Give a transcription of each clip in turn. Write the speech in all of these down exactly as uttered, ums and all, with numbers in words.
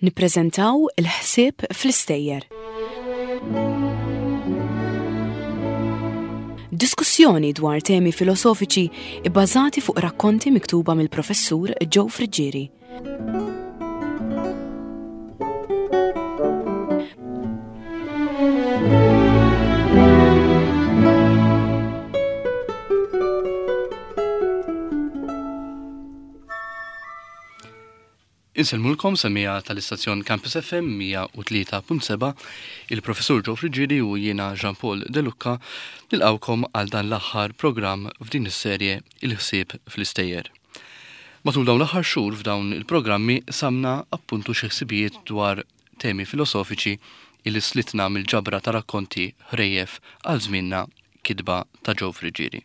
Nippreżentaw il-ħsieb fl-istejjer. Diskussjoni dwar temi filosofiċi ibbażati fuq rakkonti miktuba mill-professur Joe Friggieri. Insellmulkom semija tal-istazzjon Campus F M mija u tlieta punt seba', il-professur Joe Friggieri u jiena Jean-Paul De Lucca nilqawkom għal dan l-aħħar programm f'din is-serje Il-ħsieb fl-istejjer. Matul dawn l-aħħar xhur f'dawn il-programmi samna appuntu xi ħsibijiet dwar temi filosofiċi illi slitna mill-ġabra ta' rakkonti ħrejjef għal żmienna kitba ta' Joe Friggieri.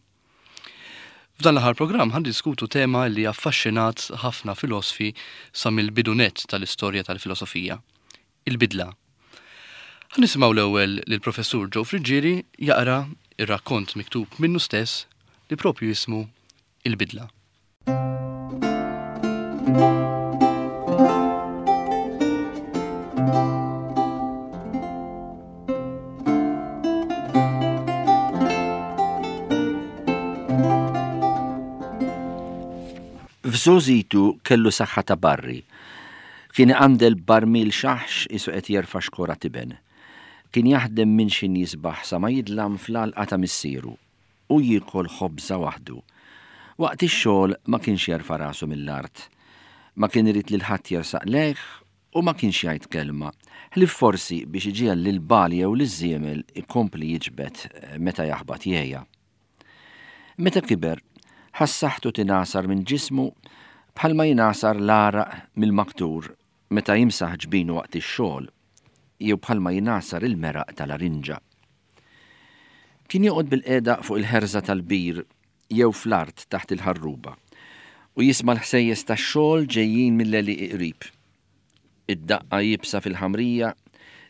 F'dan l-aħħar programm ħan diskutu tema li affaxxinat ħafna filosfi sa mill-bidunet tal-istorja tal-filosofija, il-bidla. Ħan nisimgħu l-ewwel lill-professur Joe Friggieri jaqra ir-rakkont miktub minnu stess li propju jismu Il-Bidla. F'żożitu kellu saħħa ta' barri. Kien iqandel barmil xaħx isu qed jerfa' xkora tiben. Kien jaħdem minn xi jisbaħ sa ma jidlam fl-għalqa ta' missieru u jiekol ħobża waħdu. Waqt ix-xogħol ma kienx jerfa' rasu mill-art. Ma kien irid lil ħadd jersaq lejh u ma kienx jgħid kelma, ħlief forsi biex iġiegħel lil bali jew liż-żiemel ikompli jiġbed meta jaħbat jgħejja. Meta kiber, ħass saħħtu tingħasar minn ġismu bħalma jingħasar l-għaraq mill-maktur meta jimsaħ ġbinu waqt ix-xogħol jew bħalma jingħasar il-meraq tal-arinġa. Kien joqgħod bil-qiegħda fuq il-ħerża tal-bir jew fl-art taħt il-ħarruba u jisma' l-ħsejjes tax-xogħol ġejjin mill-għelieqi qrib. Id-daqqa jibsa fil-ħamrija,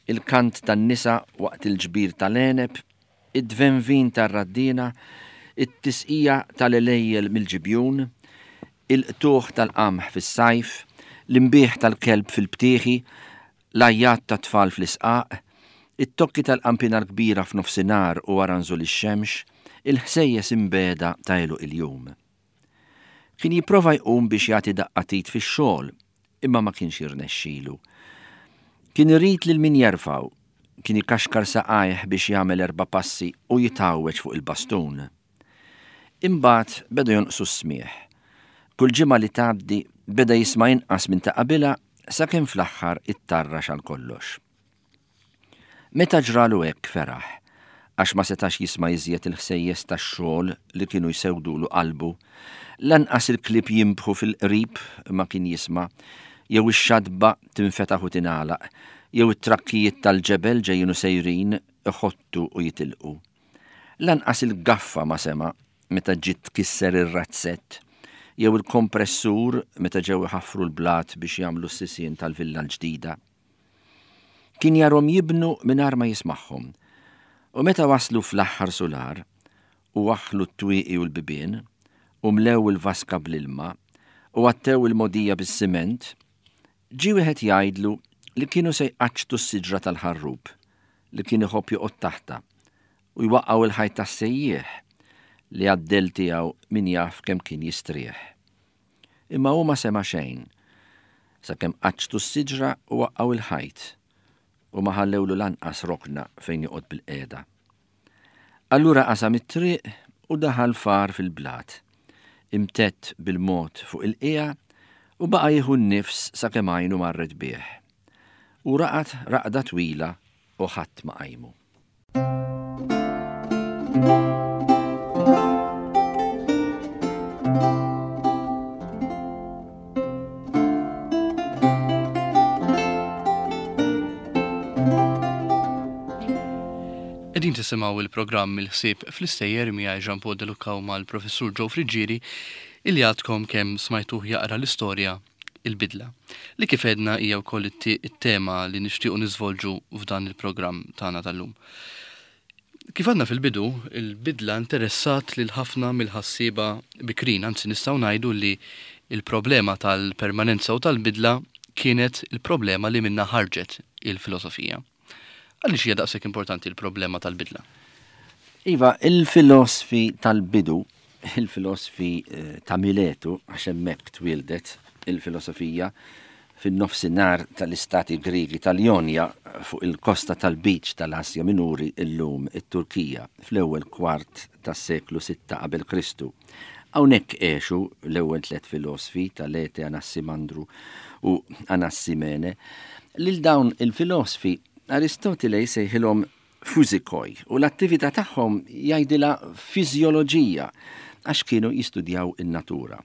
il-kant tan-nisa waqt il-ġbir tal-għeneb, id-dvenvin tar-raddina, it-tisqija tal-għelejjel mill-ġibjun, il-qtuħ tal-qamħ fis-sajf, l-imbieħ tal-kelb fil-btieħi, l-għajjat tat-tfal fl-isqaq, it-tokki tal-qampina l-kbira f'nofsinhar u wara nżul ix-xemx, il-ħsejjes imbeda ta' għeluq il-jum. Kien jipprova jqum biex jagħti daqqa tit fix-xogħol, imma ma kienx jirnexxilu. Kien irid lil min jerfgħu, kien ikaxkar saqajh biex jagħmel erba' passi u jitgħawweġ fuq il-bastun. Imbagħad beda jonqsu s-smieħ. Kull ġimgħa li tgħaddi beda jisma' inqas minn ta' qabilha sakemm fl-aħħar ittarrax għal kollox. Meta ġralu hekk feraħ, għax ma setax jisma' iżjed il-ħsejjes tax-xogħol li kienu jsewdulu qalbu, lanqas il-klieb jinbħu fil-qrib ma kien jisma', jew ix-xadba tinfetaħ u tingħalaq, jew it-trakkijiet tal-ġebel ġejjin u sejrin iħottu u jitilqu. Lanqas il-gaffa ma sema' meta ġiet tkisser ir-razzett, jew il-kompressur meta ġew iħaffru l-blat biex jagħmlu s-sisien tal-villa l-ġdida. Kien jarhom jibnu mingħajr ma jismagħhom. U meta waslu fl-aħħar sular u waħħlu t-twieqi u l-bibien u mlew il-vaska bl-ilma u għattew il-mogħdija bis-siment, ġie wieħed jgħidlu li kienu se jqaċċtu s-siġra tal-ħarrub li kien iħobb joqgħod taħtha u jwaqqgħu il-ħajt tas-sejjieħ li għaddel tiegħu min jaf kemm kien jistrieħ. Imma hu ma sema' xejn sakemm qaċċtu s-siġra u waqqgħu il-ħajt u ma ħallewlu lanqas rokna fejn joqgħod bil-qiegħda. Allura qasam it-triq u daħal far fil-blat, imtett bil-mod fuq il-qiegħa u baqa' jieħu n-nifs sakemm għajnu marret bih. U raqad raqda twila u ħadd ma qajmu. Qegħdin tisimgħu il-programm Il-Ħsieb fl-Istejjer miegħi Jean Paul De Lucca u mal-Professur Joe Friggieri illi għadkom kemm smajtuh jaqra l-istorja Il-Bidla, li kif għedna hija wkoll it-te-, it-tema li nixtiequ niżvolġu f'dan il-programm tagħna tal-lum. Kif għadna fil-bidu, il-bidla interessat lil ħafna mill-ħassieba bikrin, anzi nistgħu ngħidu li il-problema tal-permanenza u tal-bidla kienet il-problema li minna ħarġet il-filosofija. Għaliex hija daqshekk importanti l-problema tal-bidla? Iva, il-filosfi tal-bidu, il-filosfi eh, ta' Miletu, għax hemmhekk twieldet il-filosofija, fin-nofsinhar tal-istati Griegi tal-Jonja fuq il-kosta tal-Beach tal-Asja Minuri illum it-Turkija fl-ewwel kwart tas-seklu sitta qabel Kristu. Hawnhekk għexu l-ewwel tliet filosfi, Talete, Anassimandru u Anassimene. Lil dawn il-filosfi Aristotile jsejħilhom fuzikoj u l-attività tagħhom jgħidilha fiżjoloġija għax kienu jistudjaw in-natura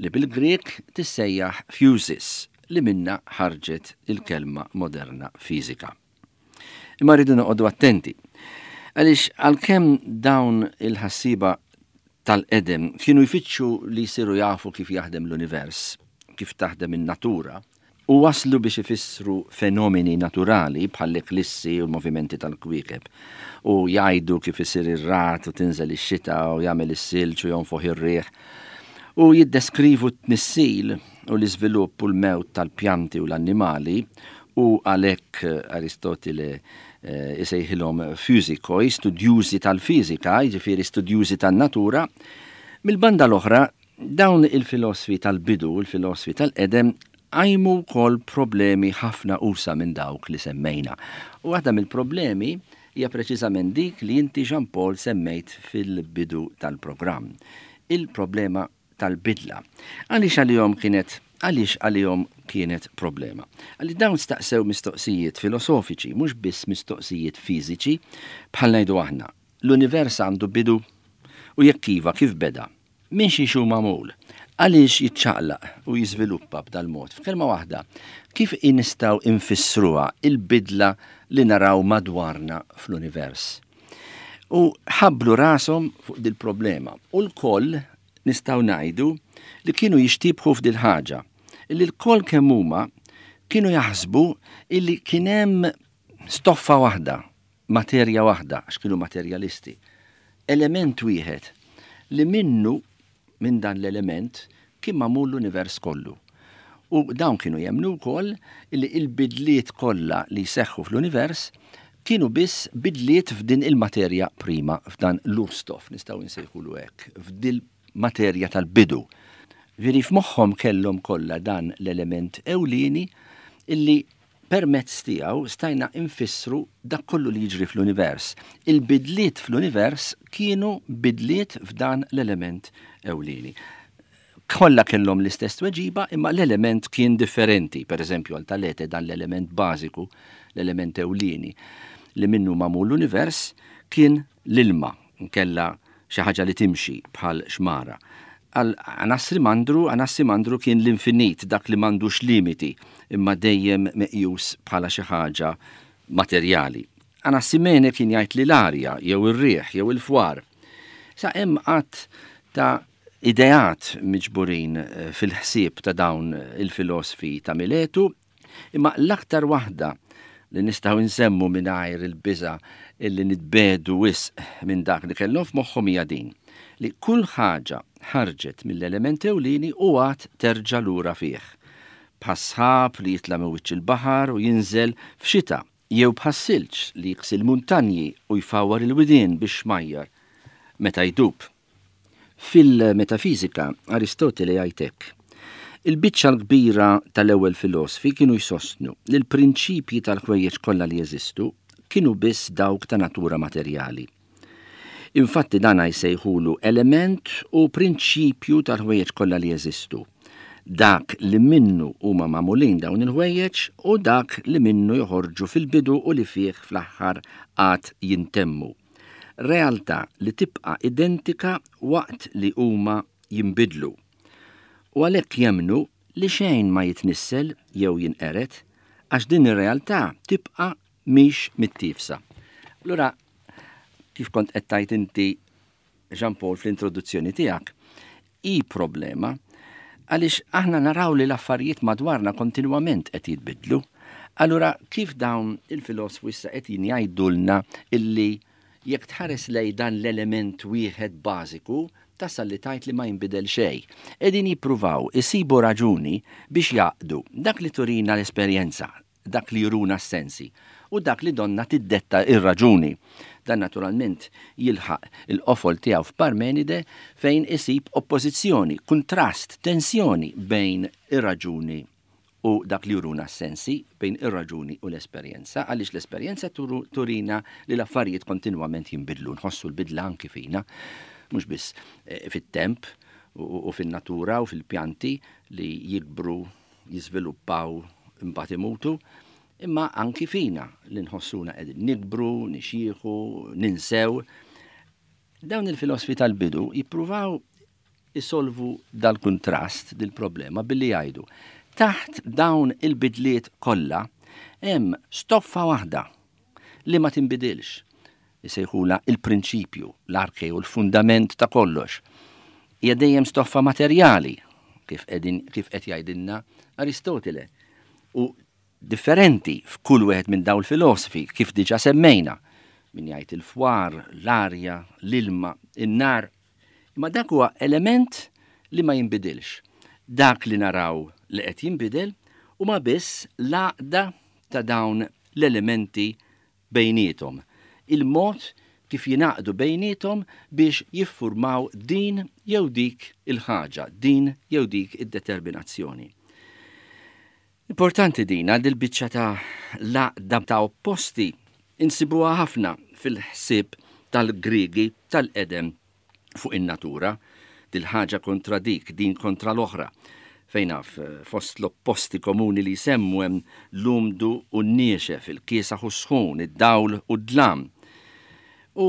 li bil-Grek tissejjaħ physis, li minna ħarġet il-kelma moderna fiżika. Imma rridu noqogħdu attenti għaliex għalkemm dawn il-ħassiba tal-qedem kienu jfittxu li jsiru jafu kif jaħdem l-univers, kif taħdem in-natura, u waslu biex ifissru fenomeni naturali bħall-eklissi u l-movimenti tal-kwiekeb, u jgħidu kif isir ir-rat u tinżel ix-xita u jagħmel is-silġ u jonfoħ ir-riħ, u jiddeskrivu t-tnissil u l-iżvilupp u l-mewt tal-pjanti u l-annimali, u għalhekk Aristotile eh, isejħilhom fizikoi, studjużi tal-fiżika, jiġifieri studjużi tan-natura. Mill-banda l-oħra, dawn il-filosfi tal-bidu, il-filosfi tal-qedem, qajmu wkoll problemi ħafna usa minn dawk li semmejna. U waħda mill-problemi hija preċiżament dik li inti, Jean Paul, semmejt fil-bidu tal-programm. Il-problema tal-bidla. Għaliex għalihom kienet għaliex għalihom kienet problema? Għaliex dawn staqsew mistoqsijiet filosofiċi, mhux biss mistoqsijiet fiżiċi, bħal ngħidu aħna. L-univers għandu bidu? U jekk iva, kif beda? Minn xi xu magħmul? Għaliex jiċċaqlaq u jiżviluppa b'dal-mod? F'kelma waħda, kif nistgħu infissruha il-bidla li naraw madwarna fl-univers? U ħablu rashom fuq dil-problema. U l-koll nistgħu ngħidu li kienu jixtibħu f'dil ħaġa, illi l-koll kemm huma kienu jaħsbu illi kien hemm stoffa waħda, materja waħda, għax kienu materjalisti, element wieħed li minnu, minn dan l-element, kien magħmul l-univers kollu. U dawn kienu jemmnu wkoll illi il-bidliet kollha li jseħħu fl-univers kienu biss bidliet f'din il-materja prima, f'dan l-urstof, nistgħu nsejħulu hekk, f'dil materja tal-bidu. Veri f'moħħhom kellhom kollha dan l-element ewlieni illi permezz tiegħu stajna infissru dak kollu li jiġri fl-univers. Il-bidliet fl-univers kienu bidliet f'dan l-element ewlieni. Kollha kellhom l-istess tweġiba, imma l-element kien differenti. Per eżempju, għal Talete dan l-element bażiku, l-element ewlieni li minnu magħmul l-univers kien l-ilma, nkella xi ħaġa li timxi bħal xmara. Għal Anassimandru, Anassimandru kien l-infinit, dak li m'għandux limiti, imma dejjem meqjus bħala xi ħaġa materjali. Anassimene kien jgħid li l-arja, jew ir-riħ, jew il-fwar. Sa hemm qatt ta' ideat miġburin fil-ħsieb ta' dawn il-filosfi ta' Miletu, imma l-aktar waħda li nistgħu nsemmu mingħajr il-biża' illi nitbedu wisq minn dak li kellhom f'moħħhom hija din, li kull ħaġa ħarġet mill-element ewlieni u għad terġa' lura fih. Bħas-sħab li jitla' minn wiċċ il-baħar u jinżel f'xita, jew bħas-silġ li jiksi l-muntanji u jfawwar il-widien biex xmajjar meta jdub. Fil-metafizika, Aristotele jgħid hekk: il-biċċa l-kbira tal-ewwel filosfi kienu jsostnu li l-prinċipji tal-ħwejjeġ kollha li jeżistu kienu biss dawk ta' natura materjali. Infatti dan jsejħulu element u prinċipju tal-ħwejjeġ kollha li jeżistu. Dak li minnu huma magħmulin dawn il-ħwejjeġ u dak li minnu joħorġu fil-bidu u li fih fl-aħħar għad jintemmu. Realtà li tibqa' identika waqt li huma jinbidlu. U għalhekk jemmnu li xejn ma jitnissel jew jinqeret għax din ir-realtà tibqa' mhix mittifsa. Allura, kif kont qed tgħid inti, Jean Paul, fl-introduzzjoni tiegħek, hi problema għaliex aħna naraw li l-affarijiet madwarna kontinwament qed jitbidlu. Allura, kif dawn il-filosfu issa qed jgħidulna illi jekk tħares lej dan l-element wieħed bażiku, tasal li tgħid li ma jinbidel xejn. Qegħdin jippruvaw isibu raġuni biex jgħaqqdu dak li turina l-esperjenza, dak li juruna s-sensi u dak li donna tiddetta ir-raġuni. Dan naturalment jilħaq il-qofol tiegħu f'Parmenide fejn isib oppożizzjoni, kuntrast, tensjoni bejn ir-raġuni u dak li juruna s-sensi, bejn ir-raġuni u l-esperjenza, għaliex l-esperjenza turina li l-affarijiet kontinwament jinbidlu, nħossu l-bidla anki fina, mhux biss eh, fit-temp u fin-natura u fil-pjanti li jikbru, jiżviluppaw, imbagħad imutu, imma anki fina li nħossuna qegħdin nikbru, nixjieħu, ninsew. Dawn il-filosfi tal-bidu jippruvaw isolvu dal-kuntrast, dil-problema billi jgħidu taħt dawn il-bidliet kollha hemm stoffa waħda li ma tinbidilx. Isejħula il-prinċipju, l-arke u l-fundament ta' kollox. Hija dejjem stoffa materjali, kif qegħdin kif qed jgħidilna Aristotele. U differenti f'kull wieħed minn dawn il-filosofi kif diġà semmejna. Min jgħid il-fwar, l-arja, l-ilma, in-nar. Imma dak huwa element li ma jinbidilx. Dak li naraw li qed jinbidel huma biss l-għaqda ta' dawn l-elementi bejniethom. Il-mod kif jingħaqdu bejniethom biex jiffurmaw din jew dik il-ħaġa, din jew dik id-determinazzjoni. Importanti din għal il-biċċa ta' l-għaqda ta' opposti insibuha ħafna fil-ħsieb tal-Griegi tal-qedem fuq in-natura, dil-ħaġa kontra dik, din kontra l-oħra. Fejn naf, fost l-opposti komuni li jsemmu hemm l-umdu u n-niexef, il-kiesaħ u sħun, id-dawl u d-dlam. U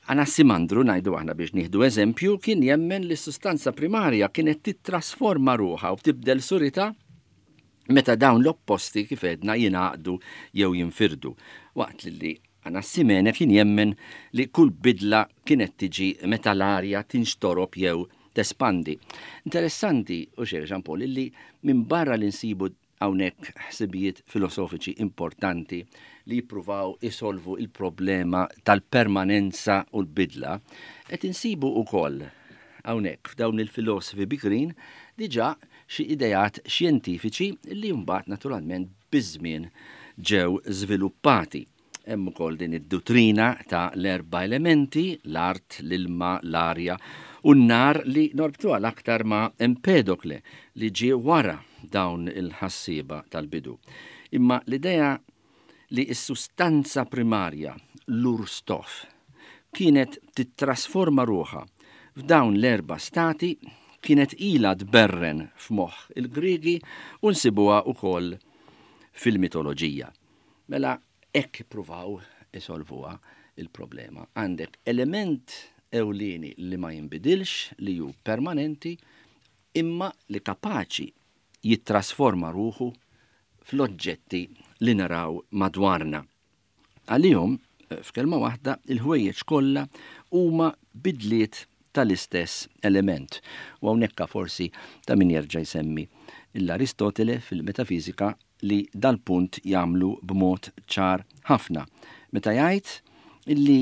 Anassimandru, ngħidu aħna biex nieħdu eżempju, kien jemmen li s-sustanza primarja kienet titrasforma ruħha u tibdel surita meta dawn l-opposti kif għedna jingħaqdu jew jinfirdu. Waqt li Anassimene kien jemmen li kull bidla kienet tiġi meta l-arja tinxtorob jew tespandi. Interessanti, u xejn Jean Paul, illi minn barra li nsibu hawnhekk ħsibijiet filosofiċi importanti li jippruvaw isolvu il-problema tal-permanenza u l-bidla, qed insibu wkoll hawnhekk f'dawn il-filosofi bikrin diġà xi ideat xjentifiċi li mbagħad naturalment biż-żmien ġew żviluppati. Hemm ukoll din id-duttrina ta' l-erba' elementi, l-art, l-ilma, l-arja u n-nar li norbtuha l-aktar ma' Empedokle li ġie wara dawn il-ħassieba tal-bidu. Imma l-idea li s-sustanza primarja, l-urstof, kienet titrasforma ruħha f'dawn l-erba' stati kienet ilha tberren f'moħħ il-Griegi u nsibuha wkoll fil-mitoloġija. Mela hekk ippruvaw isolvuha il-problema. Għandek element ewlieni li ma jinbidilx, li hu permanenti, imma li kapaċi jittrasforma ruħu fl-oġġetti li naraw madwarna. Għalihom, f'kelma waħda, il-ħwejjeġ kollha huma bidliet tal-istess element. U hawnhekk forsi ta' min jerġa' jsemmi l-Aristotele fil-metafizika li dal-punt jagħmlu b'mod ċar ħafna. Meta jgħid illi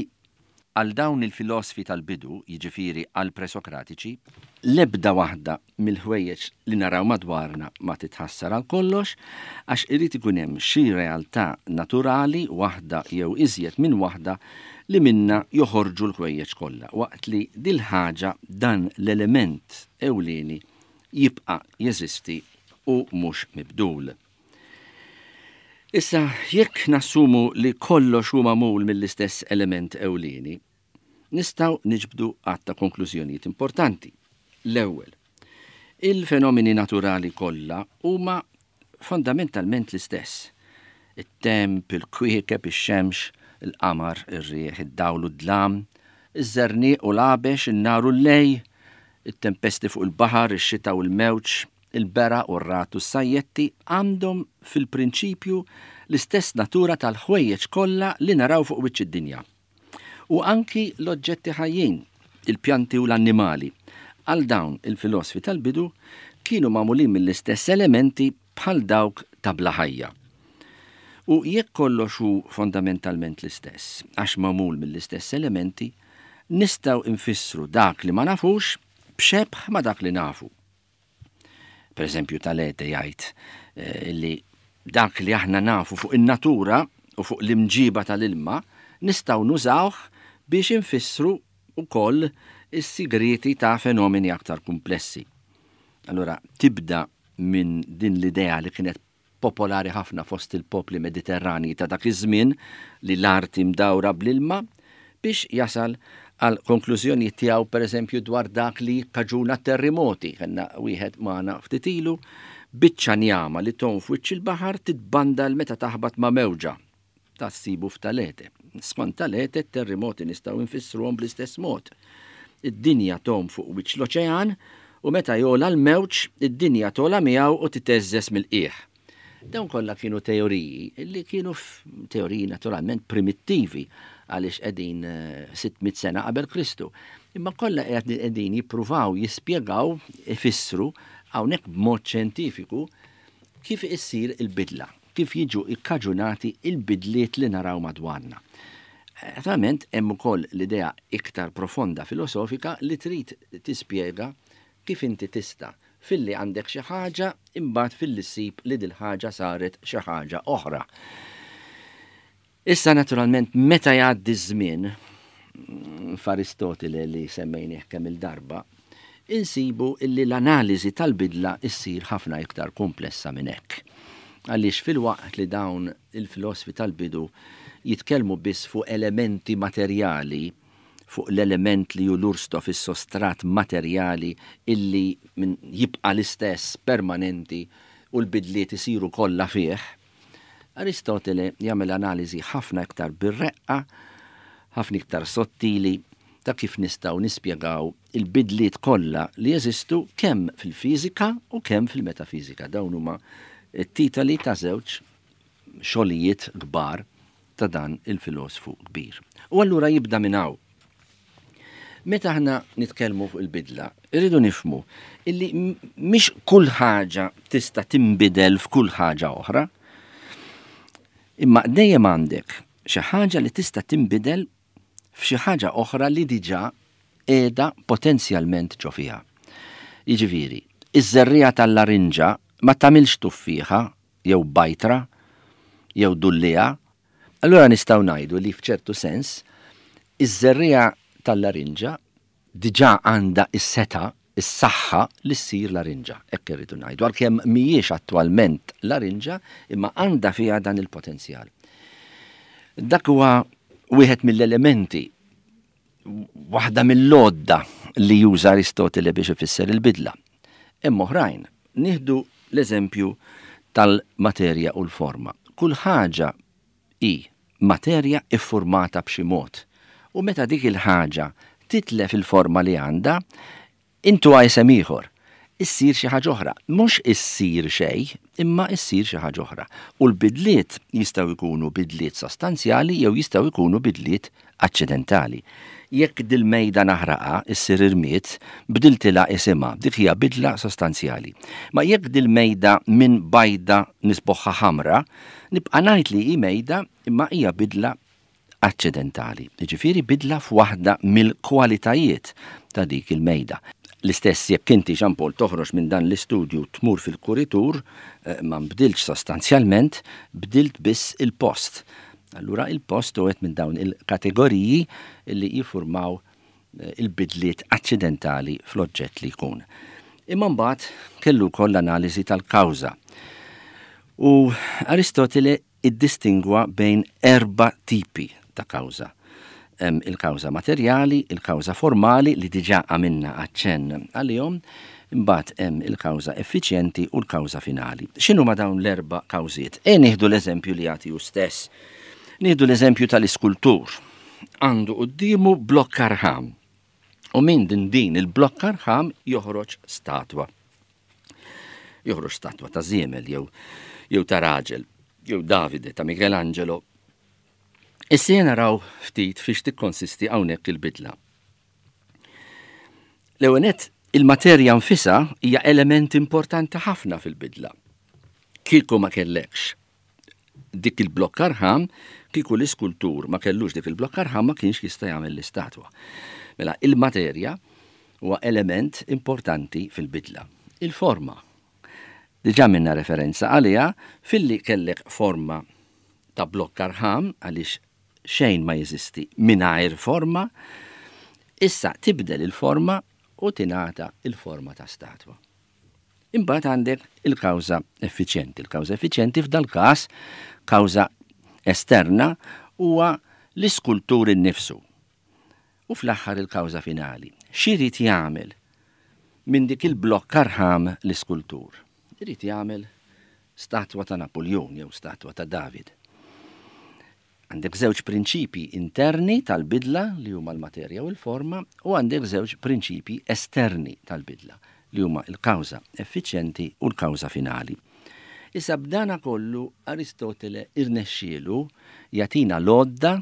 għal dawn il-filosfi tal-bidu, jiġifieri għal presokratiċi, l-ebda waħda mill-ħwejjeġ li naraw madwarna ma titħassar għal kollox, għax irid ikun hemm xi realtà naturali waħda jew iżjed minn waħda li minna joħorġu l-ħwejjeġ kollha, waqt li dil-ħaġa dan l-element ewlieni jibqa' jeżisti u mhux mibdul. Issa, jekk nassumu li kollox hu magħmul mill-istess element ewlieni, nistgħu niġbdu għadd ta' konklużjonijiet importanti. L-ewwel, il-fenomeni naturali kollha huma fondamentalment l-istess. It-temp, il-kwiekeb, ix-xemx, il-qamar, ir-riħ, id-dawl u d-dlam, iż-żerniq u l-għabex, in-nar u l-lej, it-tempesti fuq il-baħar, ix-xita u l-mewġ, il-beraq u r-ragħad u s-sajjetti għandhom fil-prinċipju l-istess natura tal-ħwejjeġ kollha li naraw fuq wiċċ id-dinja. U anki l-oġġetti ħajjin, il-pjanti u l-annimali, għal dawn il-filosfi tal-bidu kienu magħmulin mill-istess elementi bħal dawk ta' bla ħajja. U jekk kollox hu fondamentalment l-istess, għax magħmul mill-istess elementi, nistgħu nfissru dak li ma nafux b'xebh ma' dak li nafu. Per eżempju, Talete jgħid eh, li dak li aħna nafu fuq in-natura u fuq l-imġiba tal-ilma nistgħu nużawh biex infissru wkoll is-sigrieti ta' fenomeni aktar komplessi. Allura tibda minn din l-idea li kienet popolari ħafna fost il-popli mediterrani ta' dak iż-żmien li l-arti mdawra bl-ilma biex jasal għal konklużjoni tiegħu, pereżempju, dwar dak li kaġuna terremoti. Kellna wieħed magħna ftit ilu, biċċa njama li tgħum f'wiċċ il-baħar titbandal meta taħbat ma' mewġa. Ta' ssibu f'Talete. Skont Talete, terremoti nistgħu nfissruhom bl-istess mod. Id-dinja tgħum fuq wiċċ l-oċean u meta jogħla l-mewġ, id-dinja togħla miegħu u titeżżeż mill-qiegħ. Dawn kollha kienu teoriji li kienu teoriji naturalment primittivi għaliex qegħdin sitt mitt sena qabel Kristu. Imma kollha qegħdin jippruvaw jispjegaw, ifissru hawnhekk b'mod xjentifiku kif issir il-bidla, kif jiġu ikkaġunati il-bidliet li naraw madwarna. Naturalment hemm ukoll l-idea iktar profonda filosofika li trid tispjega kif inti tista' filli għandek xi ħaġa imbagħad filli ssib li dil-ħaġa saret xi ħaġa oħra. Issa naturalment meta jgħaddi ż-żmien f'Aristotile li semmejnieh kemm il-darba, insibu illi l-analiżi tal-bidla issir ħafna iktar komplessa minn hekk. Għaliex fil-waqt li dawn il-filosfi tal-bidu jitkellmu biss fuq elementi materjali, fuq l-element li hu l-ursto fis-sostrat materjali illi min jibqa' l-istess permanenti u l-bidliet isiru kollha fih, Aristotele jagħmel analiżi ħafna iktar bir-reqqa, ħafna iktar sottili ta' kif nistgħu nispjegaw il-bidliet kollha li jeżistu kemm fil-fiżika u kemm fil-metafiżika. Dawn huma t-titoli ta' żewġ xogħlijiet kbar ta' dan il-filosfu kbir. U allura jibda minn hawn. Meta aħna nitkellmu fuq il-bidla, irridu nifhmu illi mhix kull ħaġa tista' tinbidel f'kull ħaġa oħra, imma dejjem għandek xi ħaġa li tista' tinbidel f'xi ħaġa oħra li diġà qiegħda potenzjalment ġo fiha. Jiġifieri, iż-żerriegħa tal-larinġa ma tagħmilx tuffieħa jew bajtra jew dulliegħa. Allura nistgħu ngħidu li f'ċertu sens iż-żerriegħa tal-larinġa diġà għandha is-seta, is-saħħa li ssir larinġa, hekk irridu ngħidu, għalkemm mhijiex attwalment larinġa, imma għandha fiha dan il-potenzjal. Dak huwa wieħed mill-elementi, waħda mill-għodda li juża Aristotele biex ifisser il-bidla. Hemm oħrajn, nieħdu l-eżempju tal-materja u l-forma. Kull ħaġa hi materja iffurmata b'xi mod. U meta dik il-ħaġa titlef il-forma li għandha, intu isem ieħor, issir xi ħaġa oħra. Mhux issir xejn, imma issir xi ħaġa oħra. U l-bidliet jistgħu jkunu bidliet sostanzjali jew jistgħu jkunu bidliet aċċidentali. Jekk dil-mejda naħraqha, issir irmiet, bdiltilha isimha, dik hija bidla sostanzjali. Ma jekk dil-mejda minn bajda nisboħħa ħamra, nibqa' ngħid li hi mejda imma hija bidla aċċidentali. Jiġifieri bidla f'waħda mill-kwalitajiet ta' dik il-mejda. L-istess jekk inti, Jean Paul, toħroġ minn dan l-istudju tmur fil-kuritur, eh, ma nbdilx sostanzjalment, bdilt biss il-post. Allura il-post u minn dawn il-kategoriji li jiffurmaw, eh, il-bidliet aċċidentali fl-oġġett li jkun. Imma mbagħad kellu wkoll l-analiżi tal-kawża. U Aristotele iddistingwa bejn erba' tipi ta' kawża. Hemm il-kawża materjali, il-kawża formali li diġà għamilna aċċenn għalihom, imbagħad hemm il-kawża effiċjenti u l-kawża finali. X'inhu ma dawn l-erba' kawżiet? E nieħdu l-eżempju li jagħti hu stess. Nieħdu l-eżempju tal-iskultur. Għandu quddiemu blokk arħam. U minn din din il-blokk arħam joħroġ statwa. Joħroġ statwa ta' żiemel jew, jew ta' raġel, jew Davide ta' Michelangelo. Issa naraw ftit fiex tikkonsisti hawnhekk il-bidla. L-ewwel nett, il-materja nfisha hija element importanti ħafna fil-bidla. Kieku ma kellekx dik il-blokk arħam, kieku l-iskultur ma kellux dik il-blokk arħam ma kienx jista' jagħmel l-istatwa. Mela il-materja Huwa element importanti fil-bidla. Il-forma. Diġà minna referenza għaliha filli kellek forma ta' blokk arħam, għaliex xejn ma jeżisti mingħajr forma, issa tibdel il-forma u tingħata il-forma ta' statwa. Imbagħad għandek il-kawża effiċjenti. Il-kawża effiċjenti f'dal-każ, kawża esterna, huwa l-iskultur innifsu. U fl-aħħar il-kawża finali. X'irid jagħmel minn dik il-blokk arħam l-iskultur? Irid jagħmel statwa ta' Napoleon jew statwa ta' David. Għandek żewġ prinċipi interni tal-bidla li huma l-materja u l-forma, u għandek żewġ prinċipi esterni tal-bidla li huma l-kawża effiċjenti u l-kawża finali. Issa b'dana kollu Aristotele irnexxielu jagħtina l-għodda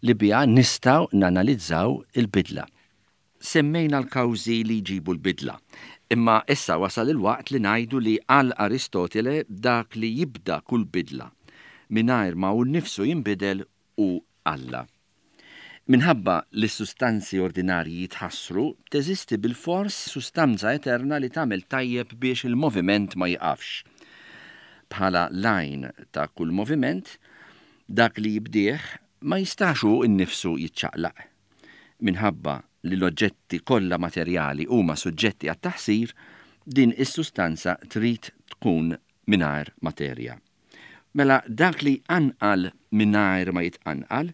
li biha nistgħu nanalizzaw il-bidla. Semmejna l-kawżi li jġibu l-bidla, imma issa wasal il-waqt li ngħidu li għal Aristotele dak li jibda kull bidla mingħajr ma hu nnifsu jinbidel hu Alla. Minħabba li s-sustanzi ordinarji jitħassru, teżisti bil-fors sustanza eterna li tagħmel tajjeb biex il-moviment ma jiqafx. Bħala l-għajn ta' kull moviment, dak li jibdih ma jistax hu nnifsu jiċċaqlaq. Minħabba li l-oġġetti kollha materjali huma suġġetti għat-taħsir, din is-sustanza trid tkun mingħajr materja. Mela dak li anqal mingħajr ma jitqanqal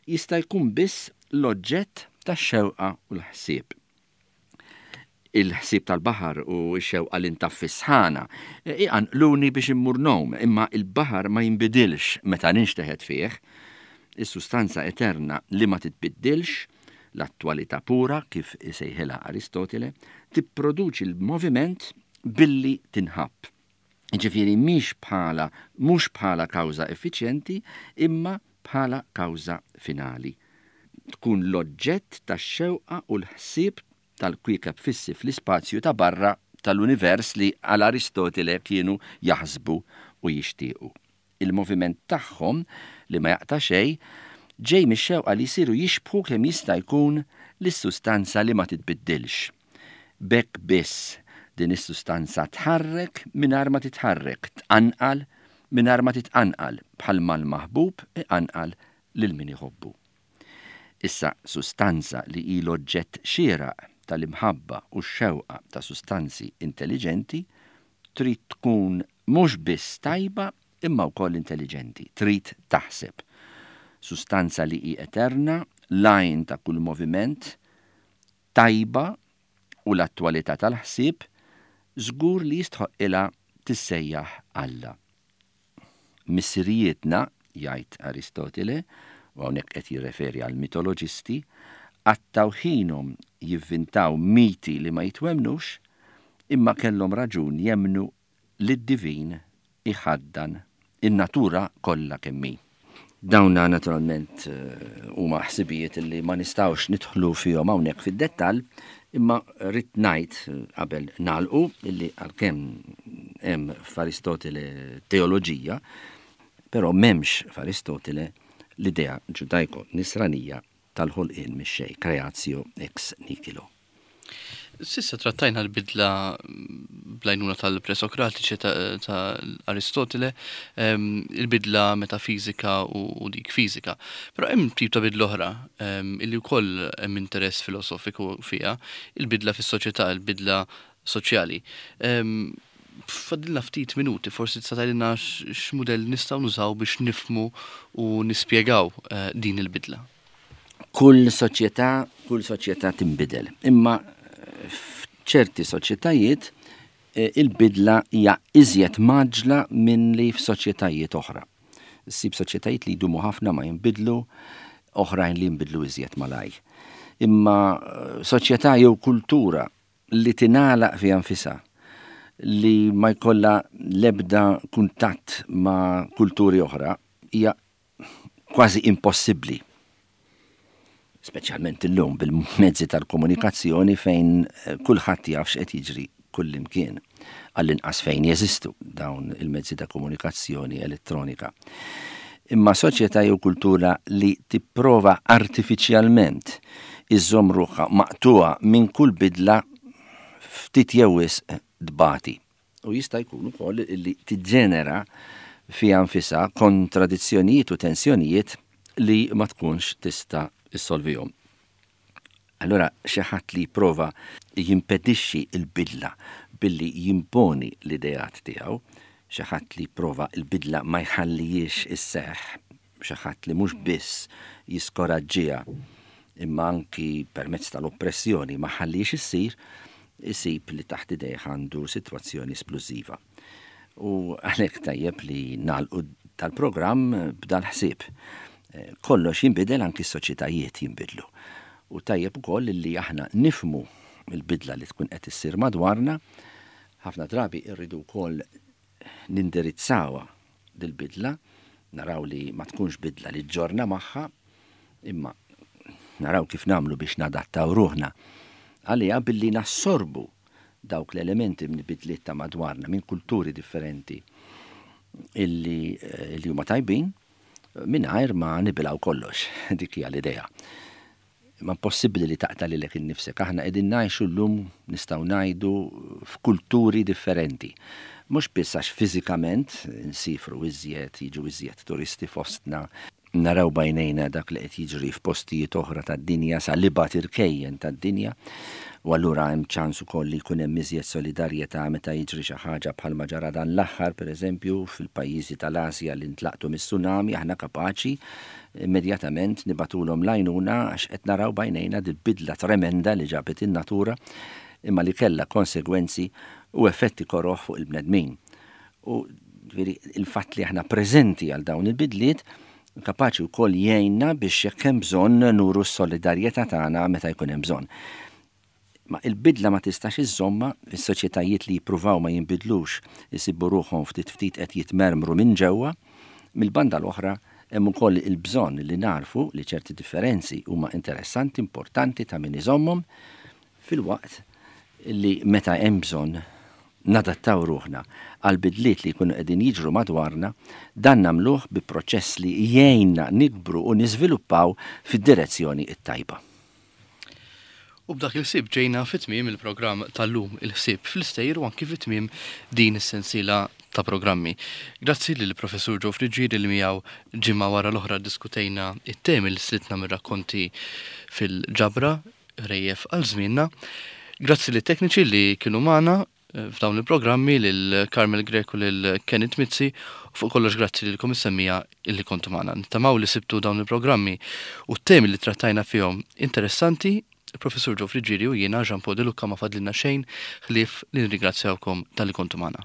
jista' jkun biss l-oġġett tax-xewqa u l-ħsieb. Il-ħsieb tal-baħar u x-xewqa li ntaffi sħana iqanqluni biex immur ngħum, imma il-baħar ma jinbidilx meta ninxteħet fih. Is-sustanza eterna li ma titbiddilx, l-attwalità pura kif isejħilha Aristotele, tipproduċi l-moviment billi tinħabb. Ġifieri mhix bħala, mhux bħala kawża effiċjenti, imma bħala kawża finali. Tkun l-oġġett tax-xewqa u l-ħsieb tal-kwiekeb fissi fl-ispazju ta' barra tal-univers li għal Aristotele kienu jaħsbu u jixtiequ. Il-moviment tagħhom li ma jaqta' xejn ġej mix-xewqa li jsiru jixbħu kemm jista' jkun lis-sustanza li ma titbiddilx. B'hekk biss din is-sustanza tħarrek mingħajr ma titħarrek, tqanqal mingħajr ma titqanqal, bħalma l-maħbub iqanqal lil min iħobbu. Issa sustanza li hi l-oġġett xieraq tal-imħabba u x-xewqa ta' sustanzi intelligenti trid tkun mhux biss tajba imma wkoll intelligenti, trid taħseb. Sustanza li hi eterna, l-għajn ta' kull moviment, tajba u l-attwalità tal-ħsieb, żgur li jistħoqilha tissejjaħ Alla. Missirijietna, jgħid Aristotele, u hawnhekk qed jirreferi għal mitoloġisti, qattaw ħinhom jivvintaw miti li ma jitwemnux, imma kellhom raġun jemnu li d-divin iħaddan in-natura kollha kemm hi. Dawna naturalment huma ħsibijiet li ma nistgħux nidħlu fihom hawnhekk fid-dettall, imma rrid ngħid qabel nagħlqu illi għalkemm hemm f'Aristotele teoloġija, però m'hemmx f'Aristotele l-idea ġudajko-nisranija tal-ħolqien mix-xejn, creatio ex nihilo. Sissa trattajna l-bidla bl-għajnuna tal-presokratiċi ta', ta' Aristotele, em, il-bidla metafizika u, u dik fizika. Però hemm tip ta' bidla oħra, em, illi wkoll hemm interess filosofiku fiha, il-bidla fis-soċjetà, il-bidla soċjali. Em, Fadilna ftit minuti, forsi tista' tgħidilna x'mudell nistgħu nużaw biex nifhmu u nispjegaw, eh, din il-bidla. Kull soċjetà, kull soċjetà tinbidel, imma f'ċerti soċjetajiet, eh, il-bidla hija iżjed maġla minn li f'soċjetajiet oħra. Ssib soċjetajiet li jdumu ħafna ma jinbidlu, oħrajn li jinbidlu iżjed malaj. Imma, eh, soċjetà jew kultura li tingħalaq fiha nfisha, li ma jkollha l-ebda kuntatt ma' kulturi oħra, hija kważi impossibbli. Speċjalment illum bil-mezzi tal-komunikazzjoni fejn, eh, kulħadd jaf x'qed jiġri kullimkien, għall-inqas fejn jeżistu dawn il-mezzi ta' komunikazzjoni elettronika. Imma soċjetà jew kultura li tipprova artifiċjalment iżżomm ruħha maqtuha minn kull bidla ftit jew wisq tbati. U jista' jkun ukoll li tiġġenera fiha nfisha kontradizzjonijiet u tensjonijiet li ma tkunx tista' issolvihom. Allora xi ħadd li jipprova jimpedixxi l-bidla billi jimponi l-ideat tiegħu, xi ħadd li jipprova l-bidla ma jħallihiex isseħħ, xi ħadd li mhux biss jiskoraġġiha imma anki permezz tal-oppressjoni ma jħallihiex issir, isib li taħt idejh għandu sitwazzjoni splużiva. U għalhekk tajjeb li nagħlqu dal-programm b'dal-ħsieb. Kollox jinbidel, anki s-soċjetajiet jinbidlu. U tajjeb ukoll li aħna nifhmu l-bidla li tkun qed issir madwarna, ħafna drabi rridu wkoll nindirizzawha dil-bidla, naraw li ma tkunx bidla li ġġorrna magħha, imma naraw kif nagħmlu biex nadattaw ruħna għaliha billi nassorbu dawk l-elementi minn bidliet ta' madwarna, minn kulturi differenti illi, illi huma tajbin, mingħajr ma nibilgħu kollox. Dik hija l-idea. Ma possibbli li taqta' lilek innifsek. Aħna qegħdin ngħixu llum, nistgħu ngħidu, f'kulturi differenti. Mhux biss għax fiżikament nsifru iżjed, jiġu iżjed turisti fostna, naraw b'għajnejna dak li qed jiġri f'postijiet oħra tad-dinja, sa l-ibgħad irkejjen tad-dinja, u allura hemm ċans ukoll li jkun hemm iżjed solidarjetà meta jiġri xi ħaġa bħalma ġara dan l-aħħar, pereżempju, fil-pajjiżi tal-Asja li ntlaqtu mis-tsunami, aħna kapaċi immedjatament nibagħtulhom l-għajnuna għax qed naraw b'għajnejna dil-bidla tremenda li ġabet in-natura imma li kellha konsegwenzi u effetti koroh fuq il-bnedmin. U ġifieri il-fatt li aħna preżenti għal dawn il-bidliet kapaċi wkoll jgħinna biex jekk hemm bżonn nuru s-solidarjetà tagħna meta jkun hemm bżonn. Ma il-bidla ma tistax iżżomma, is-soċjetajiet li jippruvaw ma jinbidlux isibu ruħhom ftit ftit qed jitmermru minn ġewwa. Mill-banda l-oħra hemm ukoll il-bżonn li narfu li ċerti differenzi huma interessanti, importanti, ta' min iżommhom, filwaqt li meta hemm bżonn nadattaw ruħna għal bidliet li jkunu qegħdin jiġru madwarna, dan nagħmluh bi proċess li jgħinna nikbru u niżviluppaw fid-direzzjoni t-tajba. U b'dak il-ħsieb ġejna fit-tmiem il-programm tal-lum, Il-Ħsieb fl-Istejjer, u anki fit-tmiem din is-sensiela ta' programmi. Grazzi lill professur Joe Friggieri li miegħu ġimgħa wara l-oħra diskutejna it-temi li slitna mir-rakkonti fil-ġabra Ħrejjef għal Żmienna. Grazzi lit-tekniċi li kienu magħna eh, f'dawn il-programmi, lil Carmel Greco, lil Kenneth Mizzi, u fuq kollox grazzi lilkom is-semmiegħa illi kontu magħna. Nittamaw li sibtu dawn il-programmi u t-temi li trattajna fihom interessanti. Il-professur Joe Friggieri u jiena, Jean Paul De Lucca, ma fadlilna xejn ħlief li nirringrazzjawkom talli kontu magħna.